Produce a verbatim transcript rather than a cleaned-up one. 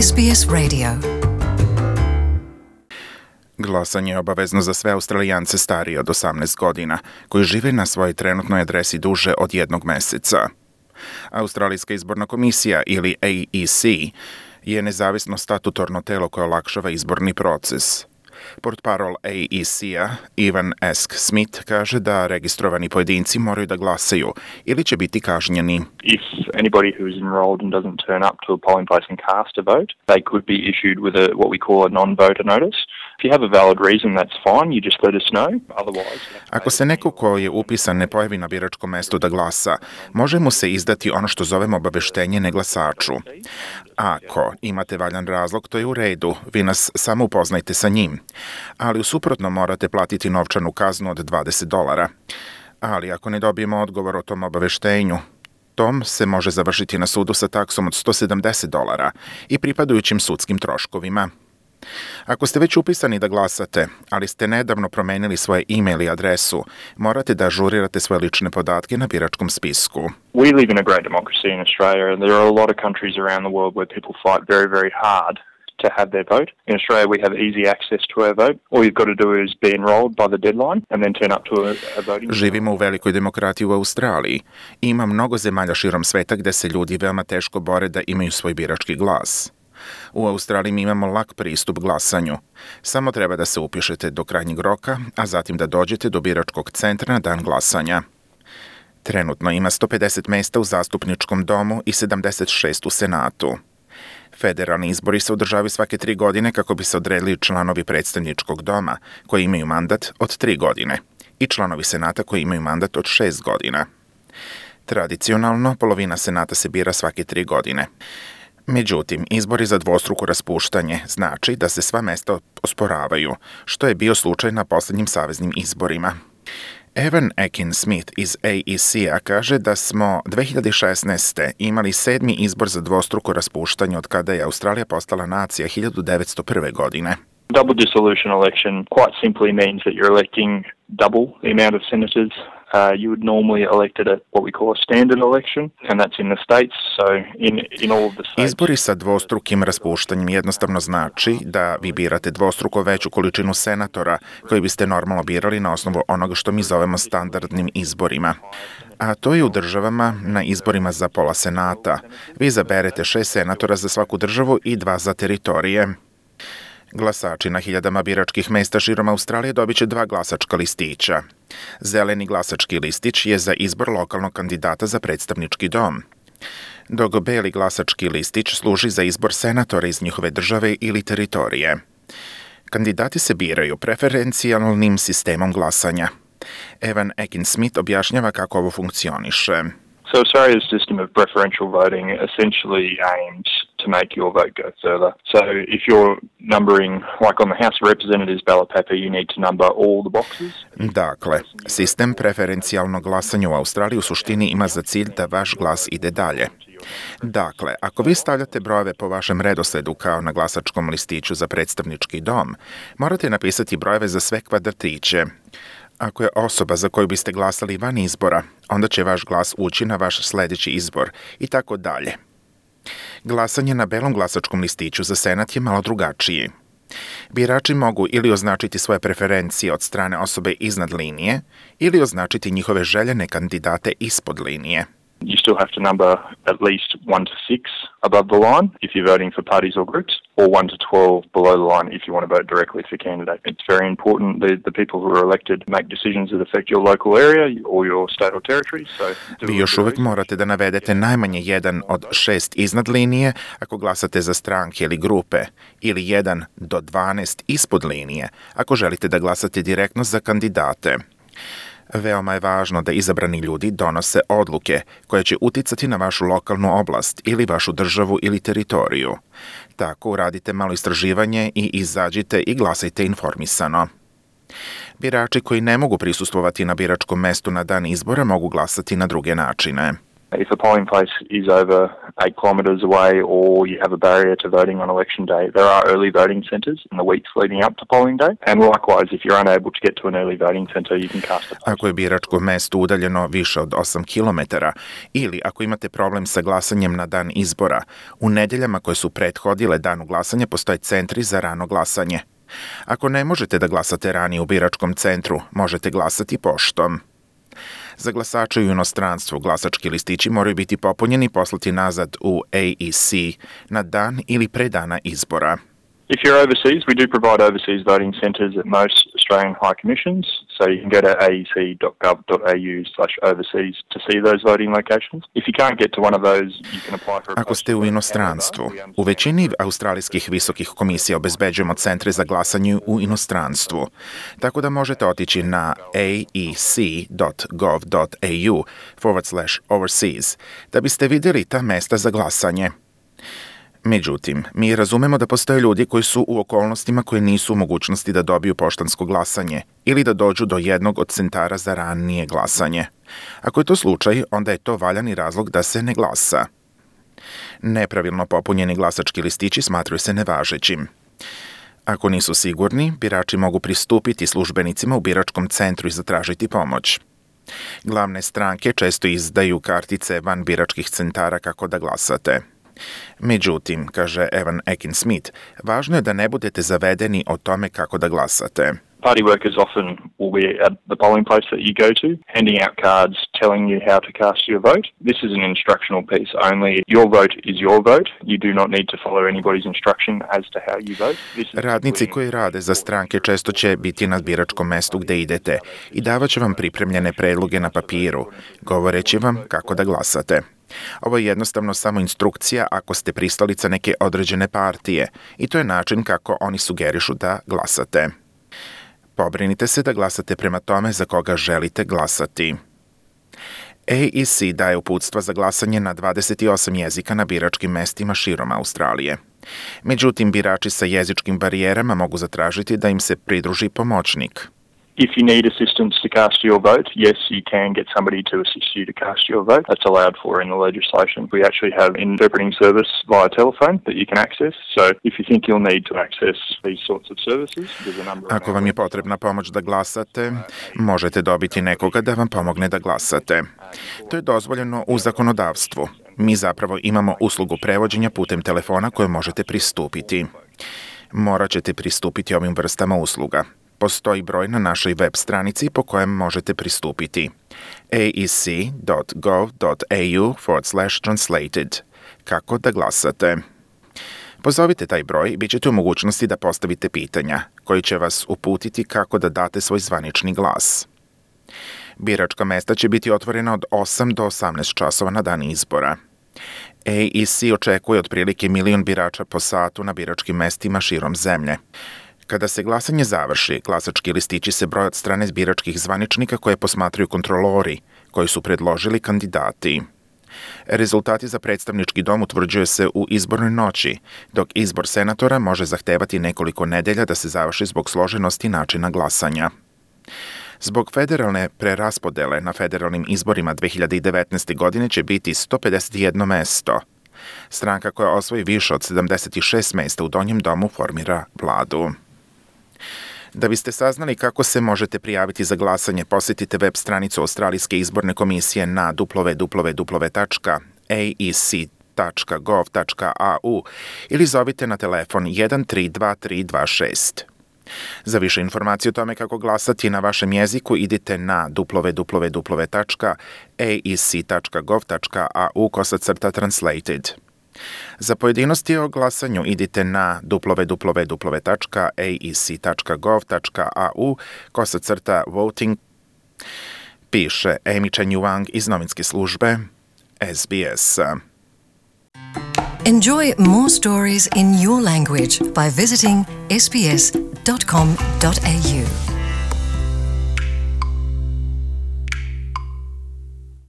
S B S Radio. Glasanje je obavezno za sve Australijance starije od osamnaest godina, koji žive na svojoj trenutnoj adresi duže od jednog meseca. Australijska izborna komisija, ili A E C, je nezavisno statutorno telo koje olakšava izborni proces. Portparol A E C-a, Ivan Esk Smith, kaže da registrovani pojedinci moraju da glasaju ili će biti kažnjeni. If anybody who is enrolled and doesn't turn up to a polling place and cast a vote, they could be issued with a what we call a non-voter notice. If you have a valid reason, that's fine. You just let us know. Otherwise, Ako se neko ko je upisan ne pojavi na biračkom mestu da glasa, može mu se izdati ono što zovemo obaveštenje neglasaču. Ako imate valjan razlog, to je u redu, vi nas samo upoznajte sa njim. Ali u suprotnom morate platiti novčanu kaznu od dvadeset dolara. Ali ako ne dobijemo odgovor o tom obaveštenju, tom se može završiti na sudu sa taksom od sto sedamdeset dolara i pripadajućim sudskim troškovima. Ako ste već upisani da glasate, ali ste nedavno promenili svoje e-mail i adresu, morate da ažurirate svoje lične podatke na biračkom spisku. we live in a great democracy in Australia, and there are a lot of countries around the world where people fight very, very hard to have their vote. In Australia, we have easy access to our vote. All you've got to do is be enrolled by the deadline and then turn up to a, a voting. Živimo u velikoj demokratiji u Australiji. Ima mnogo zemalja širom sveta gde se ljudi veoma teško bore da imaju svoj birački glas. U Australiji mi imamo lak pristup glasanju. Samo treba da se upišete do krajnjeg roka, a zatim da dođete do biračkog centra na dan glasanja. Trenutno ima sto pedeset mesta u zastupničkom domu i sedamdeset šest u Senatu. Federalni izbori se održavaju svake tri godine kako bi se odredili članovi predstavničkog doma koji imaju mandat od tri godine i članovi Senata koji imaju mandat od šest godina. Tradicionalno, polovina Senata se bira svake tri godine. Međutim, izbori za dvostruko raspuštanje znači da se sva mesta osporavaju, što je bio slučaj na poslednjim saveznim izborima. Evan Ekin Smith iz A E C-a kaže da smo dve hiljade šesnaeste. imali sedmi izbor za dvostruko raspuštanje od kada je Australija postala nacija hiljadu devetsto prve. godine. Double dissolution election quite simply means that you're electing double the amount of senators uh, you would normally elect at a, what we call a standard election, and that's in the states. So in in all of the states. Izbori sa dvostrukim raspuštanjem jednostavno znači da vi birate dvostruko veću količinu senatora koji biste normalno birali na osnovu onoga što mi zovemo standardnim izborima. A to je u državama na izborima za pola senata. Vi izaberete šest senatora za svaku državu i dva za teritorije. Glasači na hiljadama biračkih mesta širom Australije dobit će dva glasačka listića. Zeleni glasački listić je za izbor lokalnog kandidata za predstavnički dom, dok beli glasački listić služi za izbor senatora iz njihove države ili teritorije. Kandidati se biraju preferencijalnim sistemom glasanja. Evan Ekin Smith objašnjava kako ovo funkcioniše. So Australia's system of preferential voting essentially aims to make your vote go further. So if you're numbering, like on the House of Representatives ballot paper, you need to number all the boxes. Dakle, sistem preferencijalnog glasanja u Australiji u suštini ima za cilj da vaš glas ide dalje. Dakle, ako vi stavljate brojeve po vašem redosledu kao na glasačkom listiću za predstavnički dom, morate napisati brojeve za sve kvadratiće. Ako je osoba za koju biste glasali van izbora, onda će vaš glas ući na vaš sledeći izbor i tako dalje. Glasanje na belom glasačkom listiću za Senat je malo drugačiji. Birači mogu ili označiti svoje preferencije od strane osobe iznad linije ili označiti njihove željene kandidate ispod linije. You still have to number at least one to six above the line if you're voting for parties or groups, or one to twelve below the line if you want to vote directly for a candidate. It's very important that the people who are elected make decisions that affect your local area or your state or territory. So Vi još uvek morate da navedete najmanje jedan od šest iznad linije ako glasate za stranke ili grupe, ili jedan do dvanaest ispod linije ako želite da glasate direktno za kandidate. Veoma je važno da izabrani ljudi donose odluke koje će uticati na vašu lokalnu oblast ili vašu državu ili teritoriju. Tako uradite malo istraživanje i izađite i glasajte informisano. Birači koji ne mogu prisustvovati na biračkom mestu na dan izbora mogu glasati na druge načine. If a polling place is over eight kilometres away or you have a barrier to voting on election day, there are early voting centres in the weeks leading up to polling day. And likewise, if you're unable to get to an early voting centre, you can cast a post. Ako je biračko mesto udaljeno više od osam kilometara ili ako imate problem sa glasanjem na dan izbora, u nedeljama koje su prethodile danu glasanja postoje centri za rano glasanje. Ako ne možete da glasate ranije u biračkom centru, možete glasati poštom. Za glasače u inostranstvu glasački listići moraju biti popunjeni i poslati nazad u A E C na dan ili pre dana izbora. If you're overseas, we do provide overseas voting centres at most Australian High Commissions, so you can go to a e c dot gov dot a u slash overseas to see those voting locations. If you can't get to one of those, you can apply for a Ako ste u inostranstvu, u većini australijskih visokih komisija obezbeđujemo centre za glasanje u inostranstvu, tako da možete otići na a e c dot gov dot a u forward slash overseas da biste vidjeli ta mesta za glasanje. Međutim, mi razumemo da postoje ljudi koji su u okolnostima koje nisu u mogućnosti da dobiju poštansko glasanje ili da dođu do jednog od centara za ranije glasanje. Ako je to slučaj, onda je to valjani razlog da se ne glasa. Nepravilno popunjeni glasački listići smatraju se nevažećim. Ako nisu sigurni, birači mogu pristupiti službenicima u biračkom centru i zatražiti pomoć. Glavne stranke često izdaju kartice van biračkih centara kako da glasate. Međutim, kaže Evan Akin-Smith, važno je da ne budete zavedeni o tome kako da glasate. Party workers often will be at the polling place that you go to, handing out cards telling you how to cast your vote. This is an instructional piece only. Your vote is your vote. You do not need to follow anybody's instruction as to how you vote. Radnici koji rade za stranke često će biti na biračkom mestu gde idete i davat će vam pripremljene predloge na papiru, govoreći vam kako da glasate. Ovo je jednostavno samo instrukcija ako ste pristalica neke određene partije i to je način kako oni sugerišu da glasate. Pobrinite se da glasate prema tome za koga želite glasati. A E C daje uputstva za glasanje na dvadeset osam jezika na biračkim mestima širom Australije. Međutim, birači sa jezičkim barijerama mogu zatražiti da im se pridruži pomoćnik. If you need assistance to cast your vote, yes, you can get somebody to assist you to cast your vote. That's allowed for in the legislation. We actually have an interpreting service via telephone that you can access. So if you think you'll need to access these sorts of services, there's a number of... Ako vam je potrebna pomoć da glasate, možete dobiti nekoga da vam pomogne da glasate. To je dozvoljeno u zakonodavstvu. Mi zapravo imamo uslugu prevođenja putem telefona koju možete pristupiti. Morat ćete pristupiti ovim vrstama usluga. Postoji broj na našoj web stranici po kojem možete pristupiti a e c dot gov dot a u forward slash translated. Kako da glasate? Pozovite taj broj i bit ćete u mogućnosti da postavite pitanja, koji će vas uputiti kako da date svoj zvanični glas. Biračka mesta će biti otvorena od osam do osamnaest časova na dan izbora. A E C očekuje otprilike milion birača po satu na biračkim mestima širom zemlje. Kada se glasanje završi, glasački listići se broje od strane biračkih zvaničnika koje posmatraju kontrolori, koji su predložili kandidati. Rezultati za predstavnički dom utvrđuje se u izbornoj noći, dok izbor senatora može zahtevati nekoliko nedelja da se završi zbog složenosti načina glasanja. Zbog federalne preraspodele na federalnim izborima dve hiljade devetnaeste. godine će biti sto pedeset jedno mesto. Stranka koja osvoji više od sedamdeset šest mesta u donjem domu formira vladu. Da biste saznali kako se možete prijaviti za glasanje, posjetite web stranicu Australijske izborne komisije na w w w tačka a e c tačka gov tačka a u ili zovite na telefon jedan tri dva tri dva šest. Za više informacije o tome kako glasati na vašem jeziku, idite na w w w tačka a e c tačka gov tačka a u kosacrta translated. Za pojedinosti o glasanju idite na w w w tačka a e c tačka gov tačka a u kosacrta voting, piše Amy Chen Yuang iz novinske službe S B S. Enjoy more stories in your language by visiting s b s dot com dot a u.